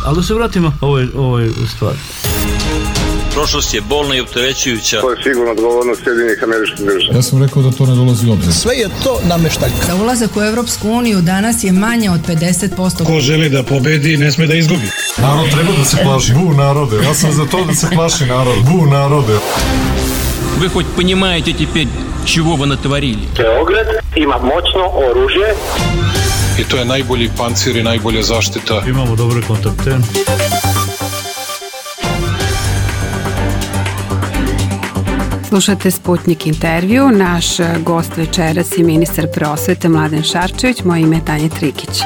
Ali da se vratimo ovoj stvari. Prošlost je bolna i opterećujuća. To je sigurno odgovornost Sjedinjenih Američkih Država. Ja sam rekao da to ne dolazi u obzir. Sve je to nameštaljka. Za ulazak u Europsku uniju danas je manje od 50%. Ko želi da pobedi, ne sme da izgubi. Narod treba da se plaši. Bu narode. Ja sam za to da se plaši narod. Bu narode. Вы хоть понимаете теперь, чего вы натворили? Beograd ima moćno oružje. I to je najbolji pancir i najbolja zaštita. Imamo dobre kontakte. Slušate Sputnik intervju. Naš gost večeras je ministar prosvete Mladen Šarčević. Moje ime je Tanja Trikić.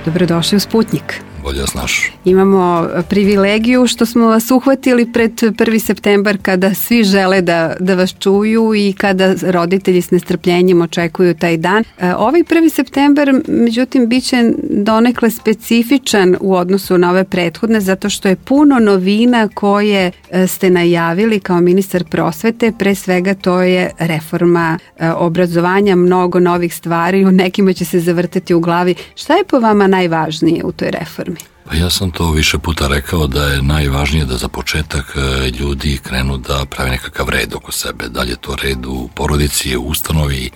Dobrodošli u Sputnik. Bolje znaš. Imamo privilegiju što smo vas uhvatili pred 1. septembar kada svi žele da vas čuju i kada roditelji s nestrpljenjem očekuju taj dan. Ovaj 1. septembar, međutim, bit će donekle specifičan u odnosu na ove prethodne zato što je puno novina koje ste najavili kao ministar prosvete. Pre svega to je reforma obrazovanja, mnogo novih stvari, u nekima će se zavrtati u glavi. Šta je po vama najvažnije u toj reformi? Pa ja sam to više puta rekao da je najvažnije da za početak ljudi krenu da pravi nekakav red oko sebe. Da li je to red u porodici, u ustanovi,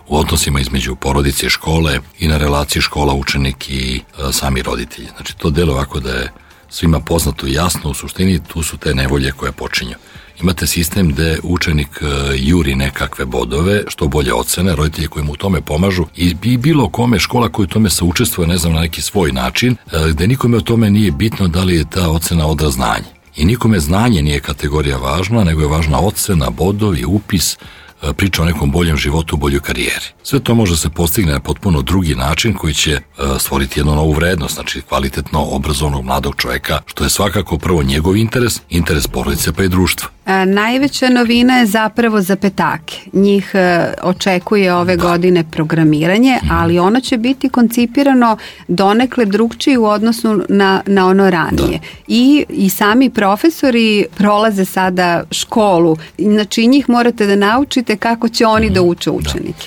u odnosima između porodice i škole i na relaciji škola, učenik i sami roditelji. Znači to delo ovako da je svima poznato i jasno, u suštini tu su te nevolje koje počinju. Imate sistem gde učenik juri nekakve bodove, što bolje ocene, roditelji koji mu u tome pomažu i bilo kome škola koji u tome saučestvuje, ne znam, na neki svoj način, gde nikome o tome nije bitno da li je ta ocena odraz znanja. I nikome znanje nije kategorija važna, nego je važna ocena, bodovi, upis, priča o nekom boljem životu, boljoj karijeri. Sve to može se postigne na potpuno drugi način koji će stvoriti jednu novu vrednost, znači kvalitetno obrazovnog mladog čoveka, što je svakako prvo njegov interes porodice pa i društva. Najveća novina je zapravo za petake. Njih očekuje ove godine programiranje, ali ono će biti koncipirano donekle drugčije u odnosu na ono ranije. I sami profesori prolaze sada školu. Znači njih morate da naučite kako će oni da uče učenike.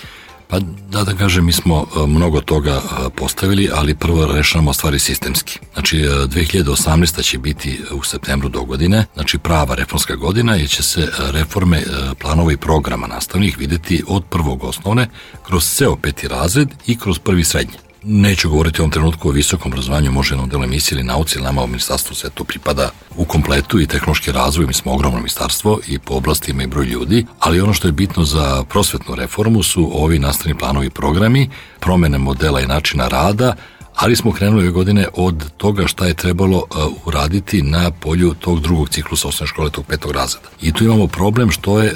Pa da kažem, mi smo mnogo toga postavili, ali prvo rešavamo stvari sistemski. Znači 2018. će biti u septembru do godine, znači prava reformska godina, jer će se reforme planova i programa nastavnih videti od prvog osnovne, kroz ceo 5. razred i kroz 1. srednje. Neću govoriti u ovom trenutku o visokom obrazovanju, može jednom delu emisije ili nauci, ili nama u ministarstvu sve to pripada u kompletu i tehnološki razvoj, mi smo ogromno ministarstvo i po oblastima i broj ljudi, ali ono što je bitno za prosvetnu reformu su ovi nastavni planovi i programi, promene modela i načina rada, ali smo krenuli ove godine od toga šta je trebalo uraditi na polju tog drugog ciklusa osnovne škole, tog 5. razreda. I tu imamo problem što je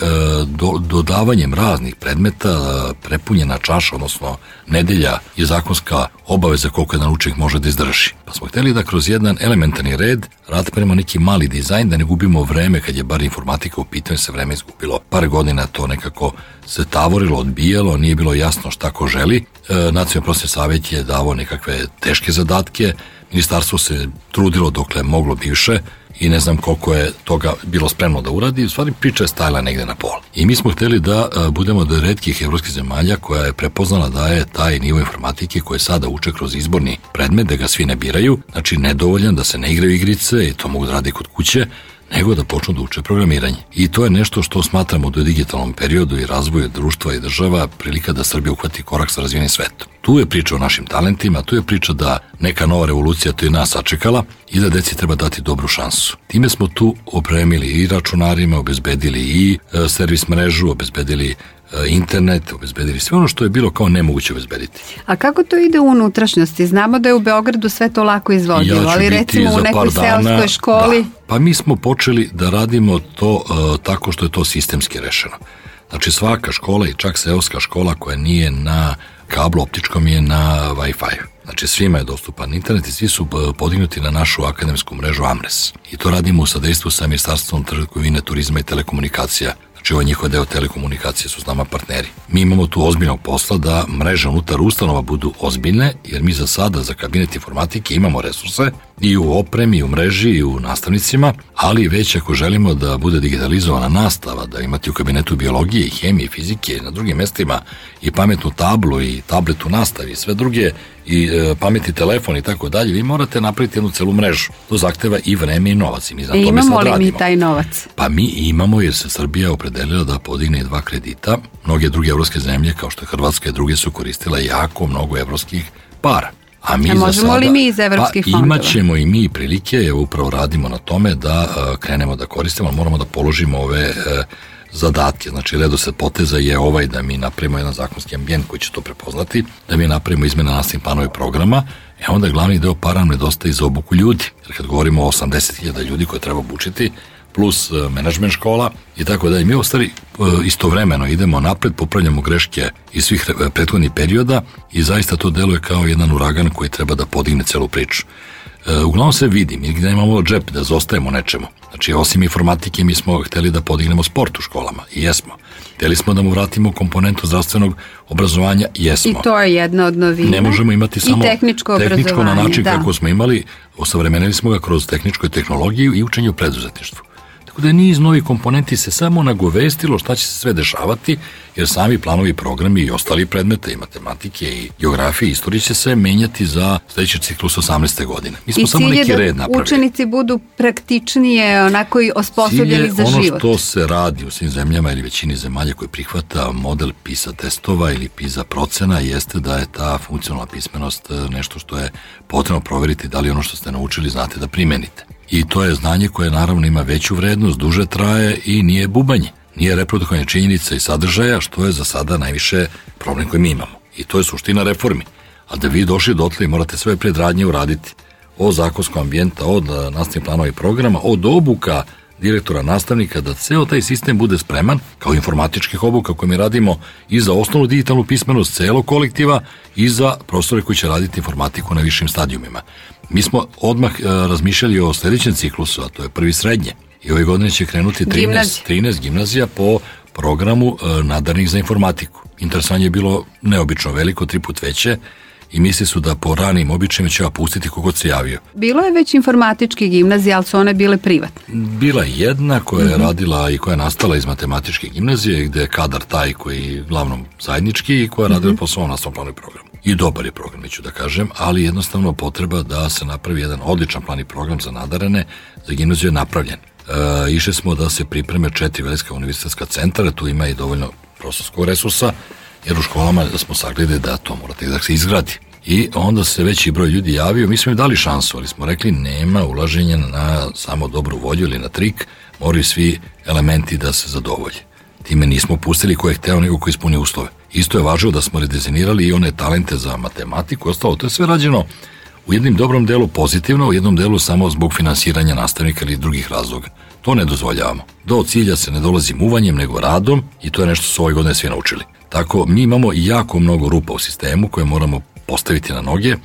dodavanjem raznih predmeta prepunjena čaša, odnosno nedelja je zakonska obaveza koliko jedan učenik može da izdrži. Pa smo hteli da kroz jedan elementarni red radimo neki mali dizajn, da ne gubimo vreme kad je bar informatika u pitanju, se vreme izgubilo. Par godina to nekako se tavorilo, odbijalo, nije bilo jasno šta ko želi. Nacionalni prosvetni savjet je davao nekakve teške zadatke, ministarstvo se trudilo dokle moglo bivše i ne znam koliko je toga bilo spremno da uradi, u stvari priča je stajala negde na pola. I mi smo hteli da budemo od retkih evropskih zemalja koja je prepoznala da je taj nivo informatike koje sada uče kroz izborni predmet, da ga svi ne biraju, znači nedovoljan, da se ne igraju igrice i to mogu da radi kod kuće, nego da počnu da uče programiranje. I to je nešto što smatramo da u digitalnom periodu i razvoju društva i država prilika da Srbija uhvati korak sa razvijenim svetom. Tu je priča o našim talentima, tu je priča da neka nova revolucija to je nas sačekala i da deci treba dati dobru šansu. Time smo tu opremili i računarima, obezbedili i servis mrežu, obezbedili internet, obezbedili sve ono što je bilo kao nemoguće obezbediti. A kako to ide u unutrašnjosti? Znamo da je u Beogradu sve to lako izvodljivo, ali recimo u nekoj seoskoj školi... Pa mi smo počeli da radimo to tako što je to sistemski rešeno. Znači svaka škola i čak seoska škola koja nije na kablu optičkom je na Wi-Fi. Znači svima je dostupan internet i svi su podignuti na našu akademsku mrežu AMRES. I to radimo u sadejstvu sa Ministarstvom trgovine, turizma i telekomunikacija. Znači ovaj njihov deo telekomunikacije su s nama partneri. Mi imamo tu ozbiljnog posla da mreže unutar ustanova budu ozbiljne, jer mi za sada za kabinet informatike imamo resurse I u opremi, i u mreži, i u nastavnicima, ali već ako želimo da bude digitalizovana nastava, da imate u kabinetu biologije, i hemije, i fizike, i na drugim mestima, i pametnu tablu, i tablet u nastavi, i sve druge, i pametni telefon i tako dalje, vi morate napraviti jednu celu mrežu. To zahteva i vreme i novac. I mi imamo li mi taj novac? Pa mi imamo, jer se Srbija opredelila da podigne 2 kredita. Mnoge druge evropske zemlje, kao što je Hrvatska i druge, su koristile jako mnogo evropskih para. A možemo li mi iz evropskih fondova? Imat ćemo i mi prilike, evo upravo radimo na tome da krenemo da koristimo, ali moramo da položimo ove zadatke. Znači, redosled poteza je ovaj da mi napravimo jedan zakonski ambijent koji će to prepoznati, da mi napravimo izmene nastavnih planova i programa, onda glavni deo para nam nedostaje za obuku ljudi. Jer kad govorimo o 80.000 ljudi koje treba obučiti, plus menadžment škola i tako dalje. Mi u stvari istovremeno idemo napred, popravljamo greške iz svih prethodnih perioda i zaista to deluje kao jedan uragan koji treba da podigne celu priču. Uglavnom se vidi, mi gde imamo džep da zostajemo nečemu. Znači, osim informatike, mi smo hteli da podignemo sport u školama i jesmo. Hteli smo da mu vratimo komponentu zdravstvenog obrazovanja, jesmo. I to je jedna od novina. Ne možemo imati samo tehničko na način kako smo imali, osavremenili smo ga kroz tehničku tehnologiju i učenje u preduzetništvu. Tako da je niz novih komponenti se samo nagovestilo šta će se sve dešavati, jer sami planovi, programi i ostali predmete i matematike i geografije i istorije će se menjati za sledeći ciklus 18. godine. Mi smo samo neki red napravili. I cilj je da učenici budu praktičnije, onako i osposobljeni za život. Cilj je ono što se radi u svim zemljama ili većini zemalja koji prihvata model PISA testova ili PISA procena, jeste da je ta funkcionalna pismenost nešto što je potrebno proveriti da li ono što ste naučili znate da primenite. I to je znanje koje naravno ima veću vrednost, duže traje i nije bubanje. Nije reprodukovanje činjenica i sadržaja, što je za sada najviše problem koji mi imamo. I to je suština reformi. A da vi došli dotle morate sve predradnje uraditi. Od zakonskog ambijenta, od nastavnih planova i programa, od obuka direktora, nastavnika, da ceo taj sistem bude spreman, kao informatičkih obuka koje mi radimo i za osnovnu digitalnu pismenost celog kolektiva i za profesore koji će raditi informatiku na višim stadijumima. Mi smo odmah razmišljali o sledećem ciklusu, a to je prvi srednje. I ove godine će krenuti 13 gimnazija po programu nadarnih za informatiku. Interesovanje je bilo neobično veliko, 3 puta veće, i misli su da po ranim običajima će pustiti kogod se javio. Bilo je već informatički gimnazija, ali su one bile privatne? Bila je jedna koja je radila i koja je nastala iz matematičke gimnazije, gde je kadar taj koji je glavnom zajednički i koja je radila po svom nastavnom planu i programu. I dobar je program, neću da kažem, ali jednostavno potreba da se napravi jedan odličan plan i program za nadarene, za gimnaziju je napravljen. Išli smo da se pripreme 4 velika univerzitetska centara, tu ima i dovoljno prostorskog resursa, jer u školama da smo sagledali da to morate da se izgradi. I onda se veći broj ljudi javio, mi smo im dali šansu, ali smo rekli nema ulaženja na samo dobru volju ili na trik, moraju svi elementi da se zadovolje. Time nismo pustili ko je hteo nego ko ispunio uslove. Isto je važno da smo redizajnirali i one talente za matematiku, ostalo, to je sve rađeno u jednom dobrom delu pozitivno, u jednom delu samo zbog finansiranja nastavnika ili drugih razloga. To ne dozvoljavamo. Do cilja se ne dolazi muvanjem, nego radom i to je nešto što su ove godine svi naučili. Tako, mi imamo jako mnogo rupa u sistemu koje moramo postaviti na noge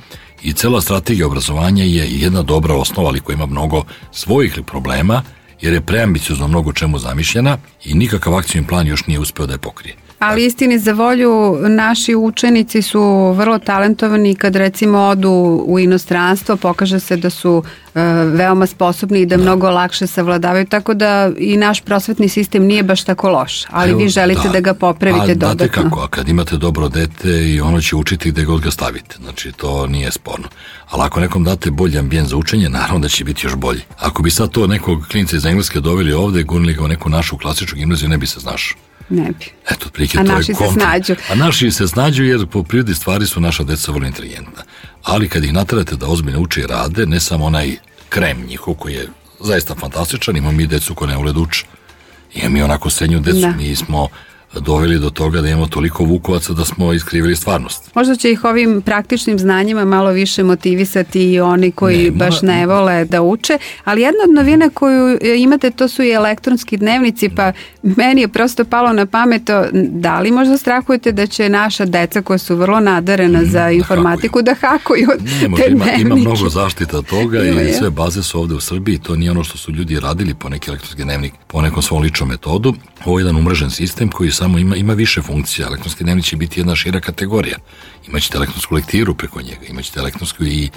i cela strategija obrazovanja je jedna dobra osnova, ali koja ima mnogo svojih problema, jer je preambiciozno mnogo čemu zamišljena i nikakav akcijni plan još nije uspeo da je pokrije. Ali istini za volju, naši učenici su vrlo talentovani kad recimo odu u inostranstvo, pokaže se da su veoma sposobni i da mnogo lakše savladavaju, tako da i naš prosvetni sistem nije baš tako loš, ali vi želite da ga popravite dodatno. Znate kako, a kad imate dobro dete i ono će učiti gde god ga stavite, znači to nije sporno. Ali ako nekom date bolji ambijent za učenje, naravno da će biti još bolji. Ako bi sad to nekog klinca iz Engleske doveli ovde, gurnili ga u neku našu klasičnu gimnaziju, ne bi se znašao. Ne bi. Eto, a naši se snađu. A naši se snađu jer po prirodi stvari su naša deca vrlo inteligentna. Ali kad ih naterate da ozbiljno uče i rade, ne samo onaj krem njihov koji je zaista fantastičan, imamo mi decu koje ne vole da uče. Imamo mi onako srednju decu, mi smo doveli do toga da imamo toliko vukovaca da smo iskrivili stvarnost. Možda će ih ovim praktičnim znanjima malo više motivisati i oni koji baš ne vole da uče, ali jedna od novina koju imate, to su i elektronski dnevnici, pa meni je prosto palo na pamet, da li možda strahujete da će naša deca koja su vrlo nadarena za informatiku da hakuju te dnevnike? Ima mnogo zaštita toga i sve baze su ovde u Srbiji, to nije ono što su ljudi radili po neki elektronski dnevnik, po nekom svom ličnom metodu. Ovo je jedan umrežen sistem koji samo ima više funkcija. Elektronski dnevnik će biti jedna šira kategorija. Imaćete elektronsku lektiru preko njega, imaćete elektronsku i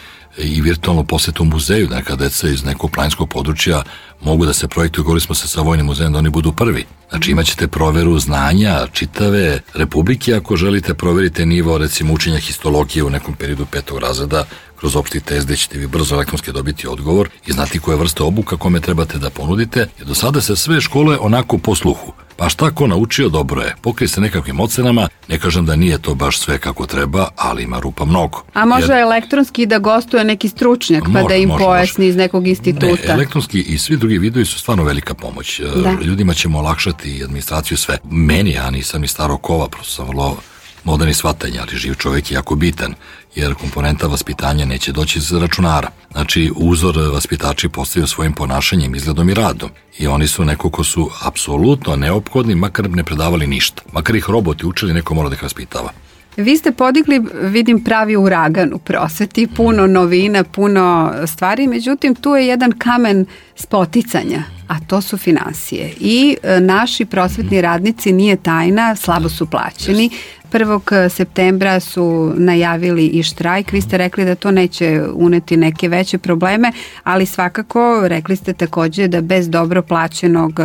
virtualnu posetu muzeju, neka deca iz nekog planinskog područja mogu da se projektuju, govorili smo se sa Vojnim muzejom da oni budu prvi. Znači imaćete proveru znanja čitave republike, ako želite proverite nivo recimo učenja histologije u nekom periodu 5. razreda, kroz opšti test gde ćete vi brzo elektronski dobiti odgovor i znati koje vrste obuka kome trebate da ponudite, jer do sada se sve škole onako po sluhu. Pa šta ko naučio, dobro je. Pokrije se nekakvim ocenama, ne kažem da nije to baš sve kako treba, ali ima rupa mnogo. A može elektronski da gostuje neki stručnjak pa da im pojasni iz nekog instituta? Ne, elektronski i svi drugi vidovi su stvarno velika pomoć. Ljudima ćemo olakšati i administraciju sve. Meni, ja nisam iz starog kova, prosto sam vrlo moderni shvatanja, ali živ čovjek je jako bitan, jer komponenta vaspitanja neće doći iz računara. Znači, uzor vaspitači postaju svojim ponašanjem, izgledom i radom. I oni su neko ko su apsolutno neophodni, makar ne predavali ništa. Makar ih roboti učili, neko mora da ih vaspitava. Vi ste podigli, vidim, pravi uragan u prosveti, puno novina, puno stvari, međutim tu je jedan kamen spoticanja, a to su finansije. I naši prosvetni radnici, nije tajna, slabo su plaćeni. 1. septembra su najavili i štrajk. Vi ste rekli da to neće uneti neke veće probleme, ali svakako rekli ste takođe da bez dobro plaćenog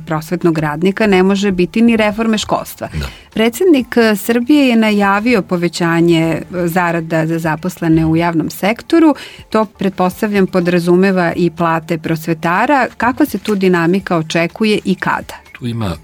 prosvetnog radnika ne može biti ni reforme školstva. Da. Predsjednik Srbije je najavio povećanje zarada za zaposlene u javnom sektoru. To, pretpostavljam, podrazumeva i plate prosvetara. Kakva se tu dinamika očekuje i kada? Tu ima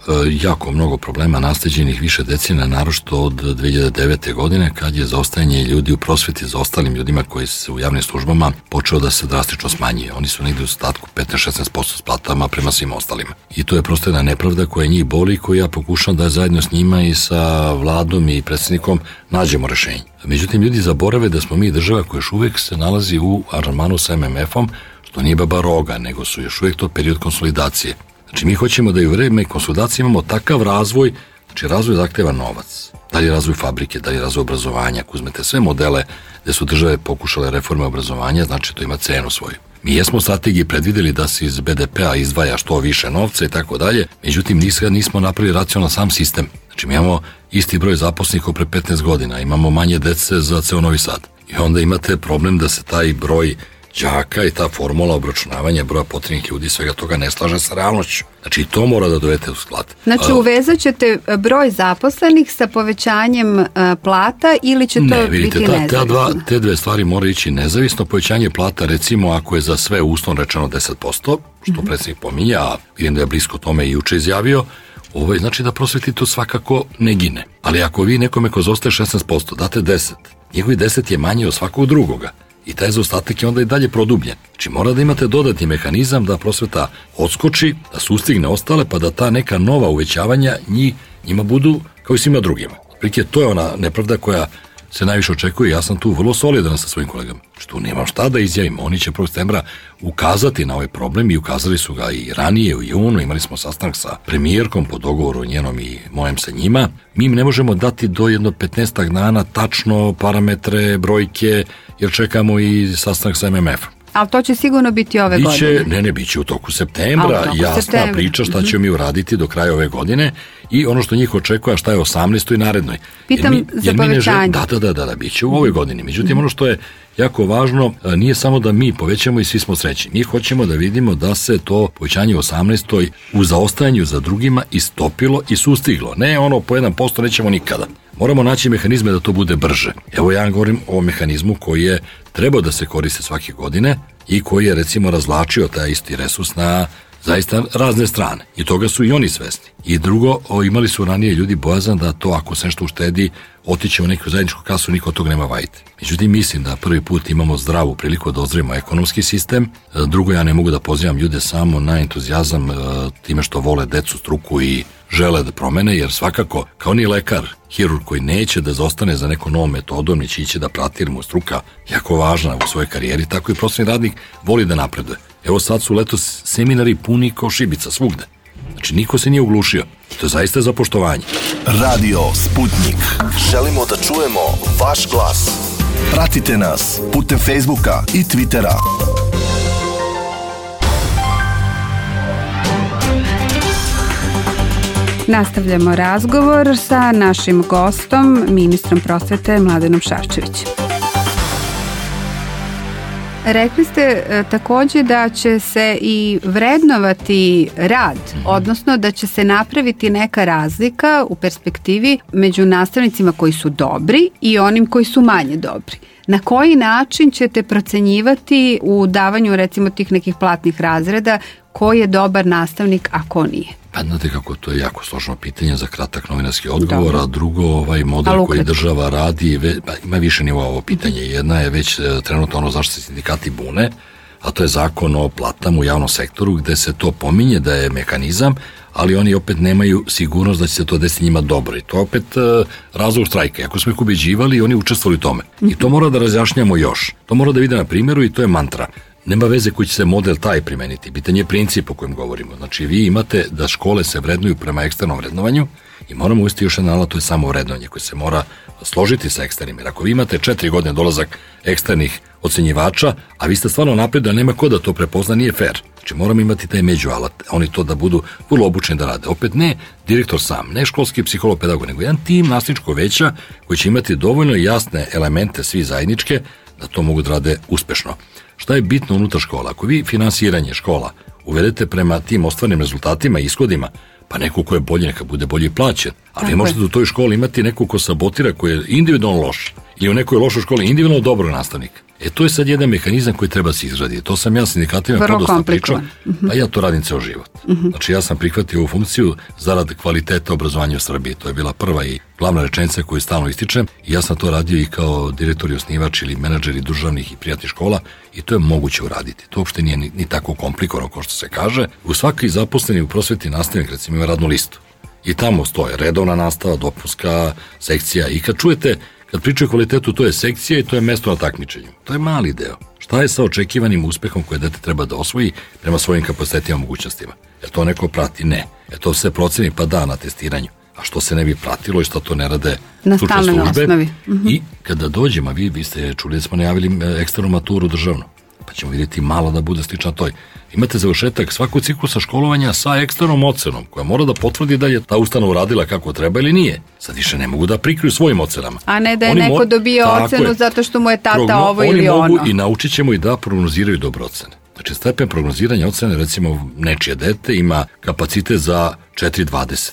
jako mnogo problema nasleđenih više decenija, naročito od 2009. godine, kad je zaostajanje ljudi u prosveti za ostalim ljudima koji su u javnim službama počeo da se drastično smanjuje. Oni su negdje u ostatku 15-16% s platama prema svim ostalima. I to je prosto jedna nepravda koja njih boli i koju ja pokušam da zajedno s njima i sa vladom i predsjednikom nađemo rešenje. Međutim, ljudi zaborave da smo mi država koja još uvijek se nalazi u aranžmanu sa MMF-om, što nije baba roga, nego su još uvijek to period konsolidacije. Znači, mi hoćemo da i u vreme konsolidacije imamo takav razvoj, znači razvoj zahteva novac. Da li je razvoj fabrike, da li je razvoj obrazovanja, ako uzmete sve modele gde su države pokušale reforme obrazovanja, znači to ima cenu svoju. Mi jesmo u strategiji predvideli da se iz BDP-a izdvaja što više novca i tako dalje, međutim nismo napravili racionalan sam sistem. Znači, mi imamo isti broj zaposlenih kao pre 15 godina, imamo manje dece za ceo Novi Sad. I onda imate problem da se taj broj đaka i ta formula obračunavanja broja potrebnih ljudi, svega toga ne slaže sa realnošću. Znači, to mora da dovedete u sklad. Znači, uvezat ćete broj zaposlenih sa povećanjem plata ili će to biti nezavisno? Te dve stvari moraju ići nezavisno. Povećanje plata, recimo, ako je za sve uslovno rečeno 10%, što predsjednik pominja, a vidim da je blisko tome i juče izjavio, znači da prosveti to svakako ne gine. Ali ako vi nekome ko zostaje 16%, date 10%, njegovi 10 je manje od svakog drugoga. I taj zaostatak je onda i dalje produbljen. Znači mora da imate dodatni mehanizam da prosveta odskoči, da sustigne ostale, pa da ta neka nova uvećavanja njima budu kao i svima drugima. Prike, to je ona nepravda koja se najviše očekuje. Ja sam tu vrlo solidan sa svojim kolegama. Što nemam šta da izjavim. Oni će 1. septembra ukazati na ovaj problem i ukazali su ga i ranije u junu. Imali smo sastanak sa premijerkom po dogovoru njenom i mojem sa njima. Mi im ne možemo dati do jedno 15 dana tačno parametre, brojke, jer čekamo i sastanak sa MMF-om. Ali to će sigurno biti ove godine. Biće u toku septembra, jasna priča šta ćemo mi uraditi do kraja ove godine i ono što njih očekuje, šta je 18. i narednoj. Pitam za povećanje. Da, biće u ovoj godini. Međutim, ono što je jako važno, nije samo da mi povećamo i svi smo srećni. Mi hoćemo da vidimo da se to povećanje u 18. u zaostajanju za drugima istopilo i sustiglo. Ne ono po 1% nećemo nikada. Moramo naći mehanizme da to bude brže. Evo ja govorim o mehanizmu koji je trebao da se koriste svake godine i koji je recimo razvlačio taj isti resurs na zaista razne strane. I toga su i oni svesni. I drugo, imali su ranije ljudi bojazan da to ako se nešto uštedi, otiće u neku zajedničku kasu, niko od toga nema vajte. Međutim, mislim da prvi put imamo zdravu priliku da ozdravimo ekonomski sistem. Drugo, ja ne mogu da pozivam ljude samo na entuzijazam time što vole decu, struku i žele da promene, jer svakako, kao ni lekar, hirurg koji neće da zostane za nekom novom metodom, neće ići da prati, jer mu struka jako važna u svojoj karijeri, tako i prosvetni radnik voli da napreduje. Evo sad su letos seminari puni kao šibica svugde. Znači, niko se nije uglušio. To je zaista za poštovanje. Radio Sputnik. Želimo da čujemo vaš glas. Pratite nas putem Facebooka i Twittera. Nastavljamo razgovor sa našim gostom, ministrom prosvete Mladenom Šarčevićem. Rekli ste takođe da će se i vrednovati rad, odnosno da će se napraviti neka razlika u perspektivi među nastavnicima koji su dobri i onim koji su manje dobri. Na koji način ćete procenjivati u davanju recimo tih nekih platnih razreda ko je dobar nastavnik, a ko nije? Pa znate kako, to je jako složeno pitanje za kratak novinarski odgovor, a drugo, ovaj model koji država radi, ima više nivoa ovo pitanje. Jedna je već trenutno ono zašto se sindikati bune, a to je zakon o platama u javnom sektoru, gde se to pominje da je mehanizam, ali oni opet nemaju sigurnost da će se to desiti njima dobro. I to je opet razlog štrajka. Ako smo ih ubeđivali, oni učestvovali u tome. I to mora da razjašnjamo još. To mora da vide na primjeru i to je mantra. Nema veze koji će se model taj primeniti. Pitanje je princip o kojem govorimo. Znači, vi imate da škole se vrednuju prema eksternom vrednovanju i moramo uvesti još jedan alat, to je samo vrednovanje koje se mora složiti sa eksternim. Jer ako vi imate 4 godine dolazak eksternih ocenjivača, a vi ste stvarno napred da nema ko da to prepozna, nije fair. Znači, moramo imati taj među alat. Oni to da budu vrlo obučeni da rade. Opet ne direktor sam, ne školski psiholog, pedagog, nego jedan tim nastavničkog veća koji će imati dovoljno jasne elemente svi zajedničke da to mogu da rade uspešno. Šta je bitno unutar škola? Ako vi finansiranje škola uvedete prema tim ostvarnim rezultatima i ishodima, pa neko ko je bolji, neka bude bolji plaćen. Ali vi možete u toj školi imati neko ko sabotira, ko je individualno loš. Ili u nekoj lošoj školi individualno dobro nastavnik. To je sad jedan mehanizam koji treba se izraditi. To sam ja sindikatima podosta pričao, a ja to radim ceo život. Znači, ja sam prihvatio ovu funkciju zarad kvaliteta obrazovanja u Srbiji. To je bila prva i glavna rečenica koju stalno ističem i ja sam to radio i kao direktor i osnivač ili menadžeri državnih i privatnih škola i to je moguće uraditi. To uopšte nije ni tako komplikovano kao što se kaže. U svaki zaposleni u prosveti nastavnik recimo ima radnu listu i tamo stoje redovna nastava, dopunska sekcija i kad čujete kad pričaju o kvalitetu, to je sekcija i to je mesto na takmičenju. To je mali deo. Šta je sa očekivanim uspehom koje dete treba da osvoji prema svojim kapacitetima i mogućnostima? Je to neko prati? Ne. To se proceni pa da na testiranju. A što se ne bi pratilo i što to ne rade stručne službe? I kada dođemo, vi ste čuli da smo najavili eksternu maturu državnu, pa ćemo vidjeti malo da bude slična toj. Imate završetak svakog ciklusa školovanja sa eksternom ocenom, koja mora da potvrdi da je ta ustanova uradila kako treba ili nije. Sad više ne mogu da prikriju svojim ocenama. A ne da je neko dobio ocenu zato što mu je tata ovo ili ono. Oni mogu i naučit ćemo i da prognoziraju dobre ocene. Znači, stepen prognoziranja ocene, recimo, nečije dete ima kapacitet za 4,20.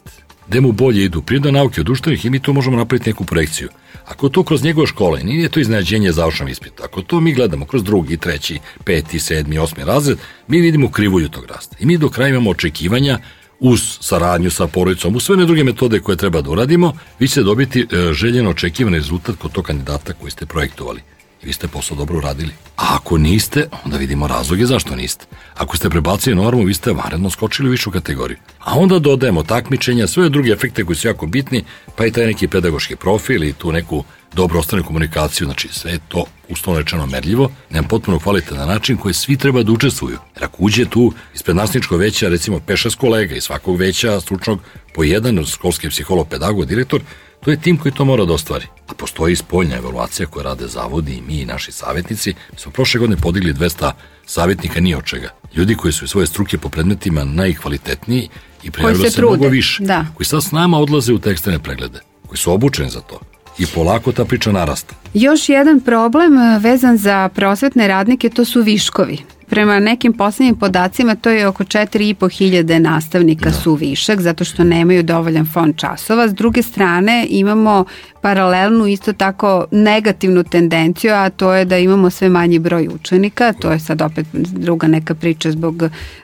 Gde mu bolje idu prirodne nauke od društvenih i mi tu možemo napraviti neku projekciju. Ako to kroz njegove škole, nije to iznenađenje završnom ispitu. Ako to mi gledamo kroz 2., 3., 5., 7., 8. razred, mi vidimo krivulju tog rasta. I mi do kraja imamo očekivanja uz saradnju sa porodicom, uz sve druge metode koje treba da uradimo, vi ćete dobiti željeno očekivan rezultat kod tog kandidata koji ste projektovali. I vi ste posao dobro uradili. A ako niste, onda vidimo razloge zašto niste. Ako ste prebacili normu, vi ste vanredno skočili u višu kategoriju. A onda dodajemo takmičenja, sve druge efekte koji su jako bitni, pa i taj neki pedagoški profil i tu neku dobro ostanu komunikaciju, znači sve je to uslovno rečeno merljivo, na potpuno kvalitetan način koji svi treba da učestvuju. Jer ako uđe tu ispred nastavničkog veća, recimo 5-6 kolega iz svakog veća stručnog po jedan, školski psiholog, pedagog, direktor, to je tim koji to mora da ostvari. A postoji i spoljna evaluacija koja rade zavodi i mi i naši savjetnici. Mi smo prošle godine podigli 200 savjetnika ni od čega. Ljudi koji su svoje struke po predmetima najkvalitetniji i prijavili se mnogo više. Da. Koji sad s nama odlaze u te eksterne preglede. Koji su obučeni za to. I polako ta priča narasta. Još jedan problem vezan za prosvetne radnike, to su viškovi. Prema nekim poslednjim podacima to je oko 4.500 nastavnika su višak zato što nemaju dovoljan fond časova. S druge strane imamo paralelnu isto tako negativnu tendenciju, a to je da imamo sve manji broj učenika, to je sad opet druga neka priča zbog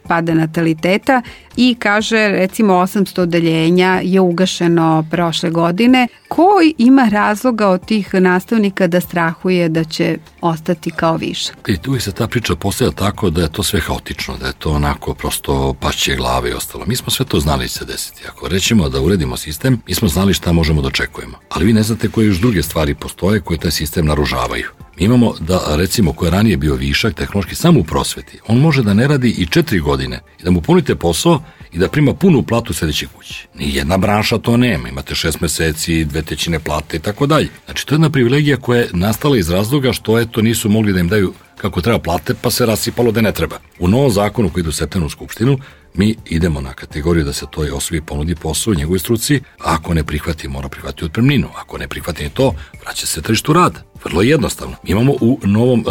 pada nataliteta i kaže recimo 800 odeljenja je ugašeno prošle godine. Ko ima razloga od tih nastavnika da strahuje da će ostati kao višak? I tu se ta priča postavlja tako da je to sve haotično, da je to onako prosto pašće glave i ostalo. Mi smo sve to znali se desiti. Ako rećemo da uredimo sistem, mi smo znali šta možemo da očekujemo. Ali vi ne znate koje još druge stvari postoje koje taj sistem naružavaju. Mi imamo da, recimo, ko je ranije bio višak tehnološki samo u prosveti, on može da ne radi i 4 godine i da mu punite posao i da prima punu platu u sljedećoj kući. Nijedna branša to nema. Imate 6 meseci, 2/3 plate i tako dalje. Znači, to je jedna privilegija koja je nastala iz razloga što to nisu mogli da im daju kako treba plate, pa se rasipalo da ne treba. U novom zakonu koji ide u septembru u Skupštinu, Mi idemo na kategoriju da se toj osobi ponudi posao u njegovoj struci, a ako ne prihvati, mora prihvatiti otpremninu. Ako ne prihvati ni to, vraća se tržištu rada. Vrlo jednostavno. Mi imamo u novom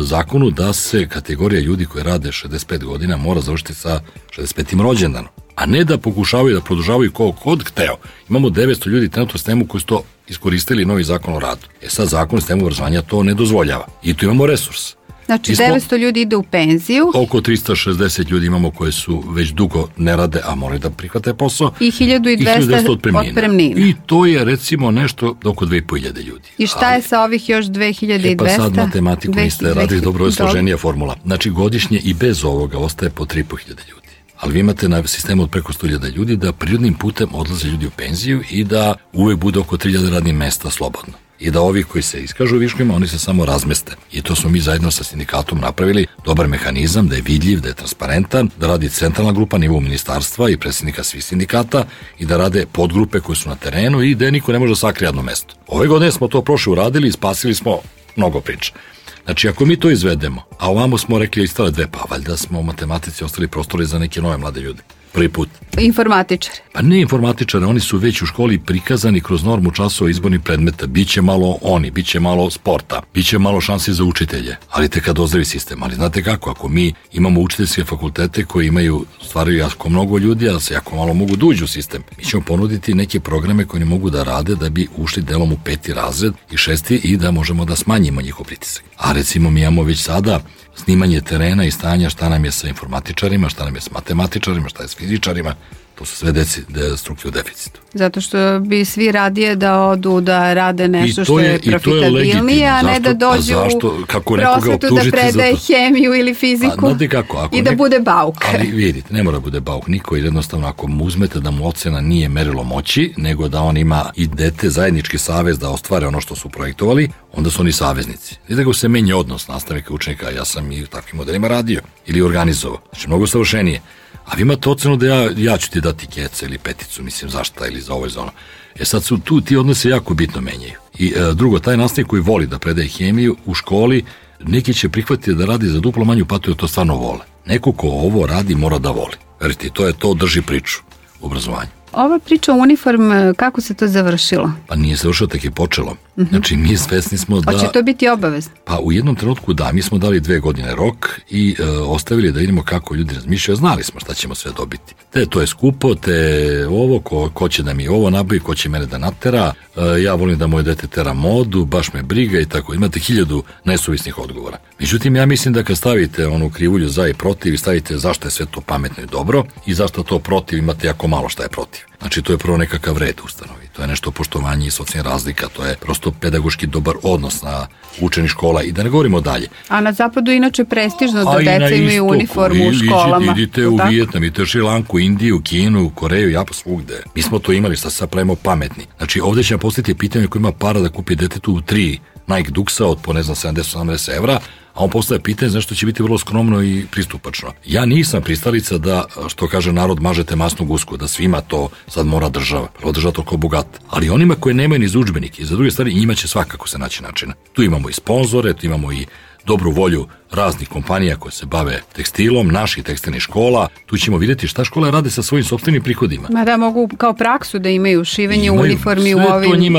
zakonu da se kategorija ljudi koji rade 65 godina mora završiti sa 65. rođendanom, a ne da pokušavaju da produžavaju kod hteo. Imamo 900 ljudi trenutno u sistemu koji su to iskoristili novi zakon o radu. Sad zakon o sistemu obrazovanja to ne dozvoljava. I tu imamo resurs. Znači 900 ljudi ide u penziju. Oko 360 ljudi imamo koji su već dugo ne rade, a moraju da prihvate posao. I 1200 otpremnina. I to je recimo nešto oko 2500 ljudi. I šta je sa ovih još 2200? Pa sad matematiku niste radili, dobro je složenija formula. Znači godišnje i bez ovoga ostaje po 3500 ljudi. Ali vi imate na sistemu od preko 100.000 ljudi da prirodnim putem odlaze ljudi u penziju i da uvek bude oko 3000 radnih mesta slobodno. I da ovi koji se iskažu viškovima, oni se samo razmeste. I to smo mi zajedno sa sindikatom napravili dobar mehanizam, da je vidljiv, da je transparentan, da radi centralna grupa nivou ministarstva i predsjednika svih sindikata i da rade podgrupe koje su na terenu i da niko ne može da sakrije jedno mesto. Ove godine smo to prošle uradili i spasili smo mnogo priča. Znači, ako mi to izvedemo, a ovamo smo rekli istale dve, pa valjda smo u matematici ostali prostori za neke nove mlade ljude. Prvi put. Informatičari. Pa ne informatičari, oni su već u školi prikazani kroz normu časova izbornih predmeta. Biće malo oni, biće malo sporta, biće malo šansi za učitelje, ali te kad ozdravi sistem. Ali znate kako, ako mi imamo učiteljske fakultete koji stvaraju jako mnogo ljudi, a se jako malo mogu da uđu u sistem, mi ćemo ponuditi neke programe koje ne mogu da rade da bi ušli delom u 5. razred i 6. i da možemo da smanjimo njihov pritisak. A recimo mi imamo već sada snimanje terena i stanja šta nam je sa informatičarima, šta nam je sa matematičarima, šta je s fizičarima, to su sve strukcije u deficitu. Zato što bi svi radije da odu da rade nešto što je profitabilnije, a ne da dođu u prosvetu da predaje hemiju ili fiziku i da bude bauk. Ali vidite, ne mora bude bauk niko, jer jednostavno ako mu uzmete da mu ocena nije merilo moći, nego da on ima i dete zajednički savez da ostvare ono što su projektovali, onda su oni saveznici. I da ga se menja odnos nastavnika i učenika, ja sam i u takvim modelima radio ili organizovao. Znači, mnogo savršenije. A vi imate ocenu da ja ću ti dati keca ili peticu, mislim zašta ili za ovo i za ono. Sad su tu ti odnose jako bitno menjaju. I drugo, taj nastavnik koji voli da predaje hemiju u školi, neki će prihvatiti da radi za duplo manju platu jer to stvarno vole. Neko ko ovo radi mora da voli. Verite, to drži priču u obrazovanju. Ova priča o uniform, kako se to završilo? Pa nije završilo, tako je počelo. Znači, mi svesni smo da... Hoće to biti obavezno? Pa u jednom trenutku da, mi smo dali 2 godine rok i ostavili da vidimo kako ljudi razmišljaju. Znali smo šta ćemo sve dobiti. To je skupo, ovo, ko će da mi ovo nabavi, ko će mene da natera, ja volim da moje dete tera modu, baš me briga i tako. Imate 1000 nesuvisnih odgovora. Međutim, ja mislim da kad stavite onu krivulju za i protiv i stavite zašto je sve to pametno i dobro i zašto to protiv, imate jako malo šta je protiv. Znači, to je prvo nekakav red ustanovi. To je nešto poštovanje i socijalnih razlika, to je prosto pedagoški dobar odnos na učenih škola i da ne govorimo dalje. A na zapadu inače prestižno da deca imaju uniformu u školama. Idite u Vijetnam, idite u Šrilanku, Indiju, Kinu, Koreju, Japan, svugde. Mi smo to imali, sad pravimo pametni. Znači, ovdje će nam postaviti pitanje ko ima para da kupi detetu 3 Nike Duxa od po 70-80 evra, a on postaje pitanje zašto će biti vrlo skromno i pristupačno. Ja nisam pristalica da, što kaže narod, mažete masnu gusku, da svima to sad mora država. Prvo država toliko bogata. Ali onima koji nemaju ni za udžbenike i za druge stvari, njima će svakako se naći načina. Tu imamo i sponzore, tu imamo i dobru volju raznih kompanija koje se bave tekstilom, naših tekstilnih škola. Tu ćemo vidjeti šta škole rade sa svojim sopstvenim prihodima. Ma da mogu kao praksu da imaju šivenje uniformi u ovim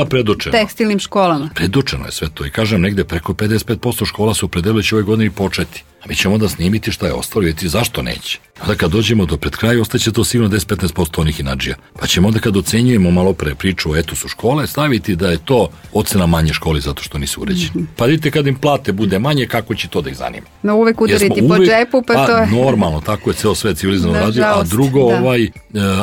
tekstilnim školama. Predočeno je sve to i kažem negde preko 55% škola su opredelili će ove godine početi. A mi ćemo onda snimiti šta je ostalo i vidjeti zašto neće. Onda kad dođemo do pred kraja, ostaće to sigurno 10-15% onih inadžija. Pa ćemo onda kad ocenjujemo malo pre priču o etosu škole, staviti da je to ocena manje školi zato što nisu uređeni. Pa vidite kad im plate bude manje, kako će to da ih zanima. No uvek udariti po džepu, pa to je... Normalno, tako je ceo svet civilizovano radio, a drugo,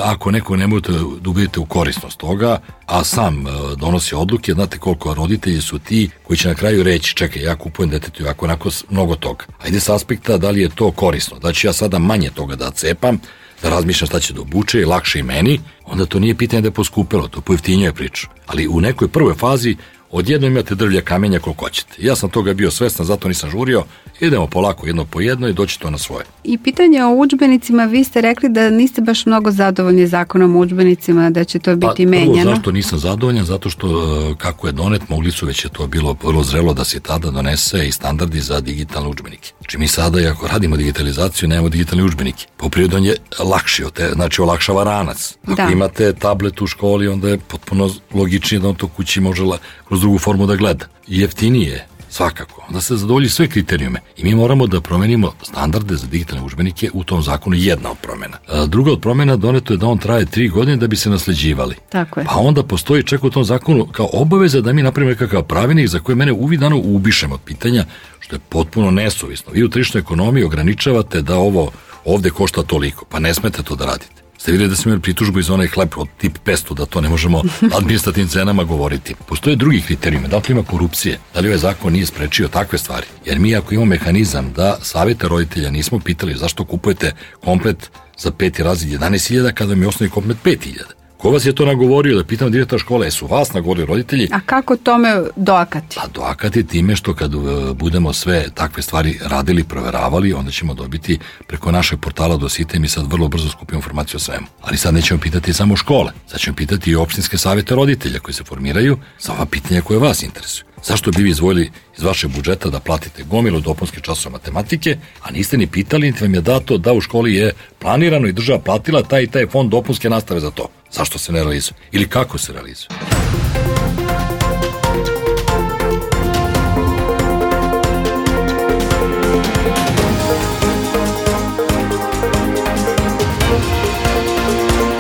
ako neko ne možete da ubedite u korisnost toga, a sam donosi odluke, znate koliko roditelji su ti koji će na kraju reći, čekaj, ja kupujem detetu onako mnogo toga. Ajde s aspekta da li je to korisno, da ću ja sada manje toga da cepam, da razmišljam šta će da obuče i lakše i meni, onda to nije pitanje da je poskupilo, to pojeftinjuje priču. Ali u nekoj prvoj fazi Odjedno imate drvlja kamenja koliko hoćete. Ja sam toga bio svestan, zato nisam žurio. Idemo polako jedno po jedno i doći to na svoje. I pitanje o udžbenicima, vi ste rekli da niste baš mnogo zadovoljni zakonom o udžbenicima, da će to biti menjano. Prvo, zašto nisam zadovoljan? Zato što kako je donet, mogli su, već je to bilo vrlo zrelo da se tada donese i standardi za digitalne udžbenike. Znači mi sada, ako radimo digitalizaciju, nemamo digitalne udžbenike. Po prirodi on je lakši, znači olakšava ranac. Ako imate tablet u školi, onda je potpuno logičnije da on to kući može kroz drugu formu da gleda. I jeftinije, svakako, da se zadovolji sve kriterijume. I mi moramo da promenimo standarde za digitalne udžbenike, u tom zakonu jedna od promena. Druga od promena doneto je da on traje 3 godine da bi se nasleđivali. Tako je. Pa onda postoji čak u tom zakonu kao obaveza da mi napravimo nekakav pravilnik za koje mene uvidano ubišemo od pitanja, što je potpuno nesuvisno. Vi u tržišnoj ekonomiji ograničavate da ovo ovde košta toliko, pa ne smete to da radite. Ste vidjeli da smo imali pritužbu iz onaj hleb od tip 500, da to ne možemo administrativnim cenama govoriti. Postoje drugi kriterijumi, da li ima korupcije, da li ovaj zakon nije sprečio takve stvari. Jer mi ako imamo mehanizam da savjete roditelja nismo pitali zašto kupujete komplet za 5. razred 11.000 kada mi je osnovni komplet 5.000. Ko vas je to nagovorio, da pitam direktora škole, su vas nagovorili roditelji? A kako tome doakati? Pa doakati time što kad budemo sve takve stvari radili, proveravali, onda ćemo dobiti preko našeg portala Dosite i mi sad vrlo brzo skupimo informaciju o svemu. Ali sad nećemo pitati samo škole, sad ćemo pitati i opštinske savjete roditelja koji se formiraju za ova pitanja koje vas interesuju. Zašto bi vi izdvojili iz vašeg budžeta da platite gomilu dopunske časove matematike, a niste ni pitali, niti vam je dato da u školi je planirano i država platila taj i taj fond dopunske nastave za to? Zašto se ne realizuje? Ili kako se realizuje?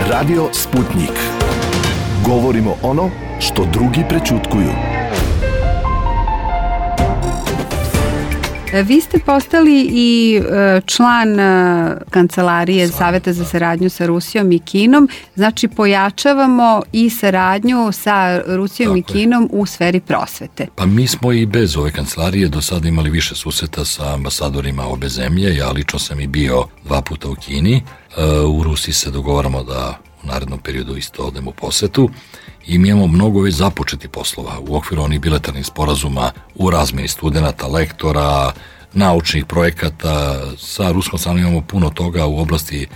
Radio Sputnik. Govorimo ono što drugi prećutkuju. Vi ste postali i član kancelarije Saveta za saradnju sa Rusijom i Kinom, znači pojačavamo i saradnju sa Rusijom i Kinom u sferi prosvete. Pa mi smo i bez ove kancelarije do sada imali više susreta sa ambasadorima obe zemlje, ja lično sam i bio 2 puta u Kini, u Rusiji se dogovaramo da u narednom periodu isto odemo u posetu i mi imamo mnogo već započeti poslova u okviru onih bilateralnih sporazuma u razmeni studenta, lektora, naučnih projekata. Sa ruskom stranom imamo puno toga u oblasti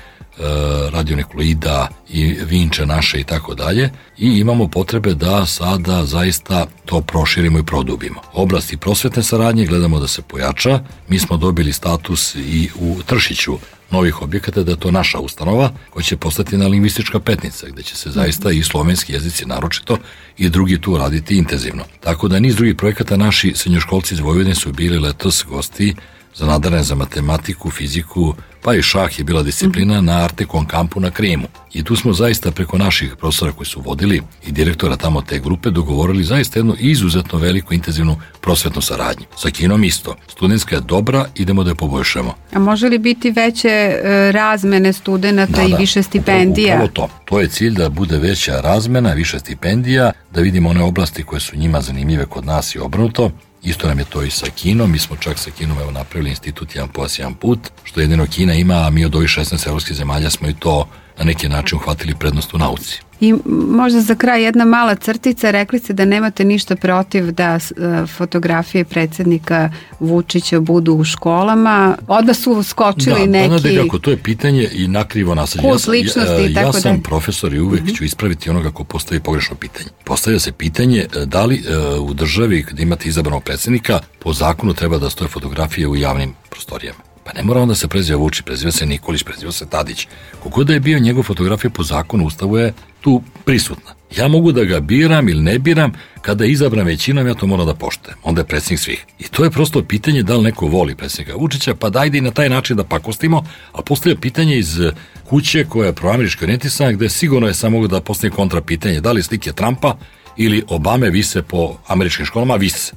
radionukleida i vinče naše i tako dalje i imamo potrebe da sada zaista to proširimo i produbimo. Oblasti prosvetne saradnje gledamo da se pojača. Mi smo dobili status i u Tršiću novih objekata, da je to naša ustanova koja će postati na lingvistička petnica, gde će se zaista i slovenski jezici naročito i drugi tu raditi intenzivno. Tako da niz drugih projekata naši srednjoškolci iz Vojvodine su bili letos gosti za nadarene za matematiku, fiziku, pa i šah je bila disciplina na Artekon kampu na Krimu. I tu smo zaista preko naših profesora koji su vodili i direktora tamo te grupe dogovorili zaista jednu izuzetno veliku intenzivnu prosvetnu saradnju. Sa Kinom isto. Studentska je dobra, idemo da je poboljšamo. A može li biti veće razmene studenta i više stipendija? Upravo to je cilj, da bude veća razmena, više stipendija, da vidimo one oblasti koje su njima zanimljive kod nas i obrnuto. Isto nam je to i sa Kinom, mi smo čak sa Kinom napravili institut jedan pojas, jedan put, što jedino Kina ima, a mi od ovih 16 evropskih zemalja smo i to na neki način uhvatili prednost u nauci. I možda za kraj jedna mala crtica, rekli ste da nemate ništa protiv da fotografije predsjednika Vučića budu u školama. Odmah su skočili neki... Da, to je pitanje i nakrivo nasađenje. Kult ličnosti i tako ja sam profesor i uvek ću ispraviti onoga ko postavi pogrešno pitanje. Postavlja se pitanje da li u državi kada imate izabranog predsjednika po zakonu treba da stoje fotografije u javnim prostorijama. Pa ne mora onda se preziva Vučić, preziva se Nikolić, preziva se Tadić. Kogod da je bio njegov fotografija po zakonu, Ustavu je tu prisutna. Ja mogu da ga biram ili ne biram, kada je izabran većinom, ja to moram da poštujem. Onda je predsjednik svih. I to je prosto pitanje da li neko voli predsjednika Vučića, pa dajde i na taj način da pakostimo, a postavlja pitanje iz kuće koja je proamerički orijentisana, gde sigurno je samo da postavi kontra pitanje, da li slike Trumpa ili Obame vise po američkim školama, vise.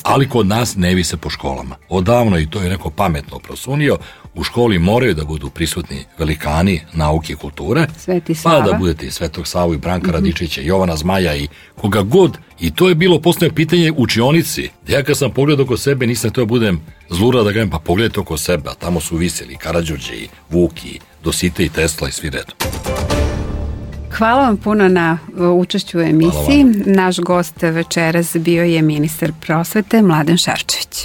Ali kod nas ne vise po školama. Odavno, i to je neko pametno prosunio, u školi moraju da budu prisutni velikani nauke i kulture, pa da budete i Svetog Savu i Branka Radičića, Jovana Zmaja i koga god. I to je bilo postavljeno pitanje učionici. Ja kad sam pogledao oko sebe, nisam to budem zlura da gajem, pa pogledajte oko sebe, a tamo su viseli Karađorđe i Vuk i Dosite i Tesla i svi redom. Hvala vam puno na učešću u emisiji. Naš gost večeras bio je ministar prosvete Mladen Šarčević.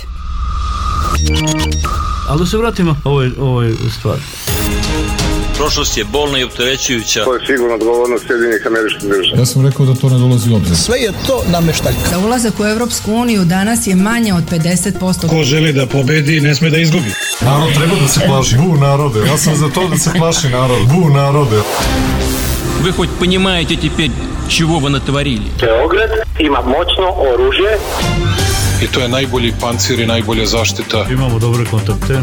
Ali da se vratimo ovoj stvari. Prošlost je bolna i opterećujuća. To je sigurno odgovornost Sjedinjenih Američkih Država. Ja sam rekao da to ne dolazi u obzir. Sve je to nameštaljka. Za ulazak u Evropsku uniju danas je manje od 50%. Ko želi da pobedi, ne sme da izgubi. Narod treba da se plaši. Bu narode. Ja sam za to da se plaši narod. Bu narode. Вы хоть понимаете теперь, чего вы натворили? Beograd ima moćno oružje. I to je najbolji pancir i najbolja zaštita. Imamo dobre kontakte.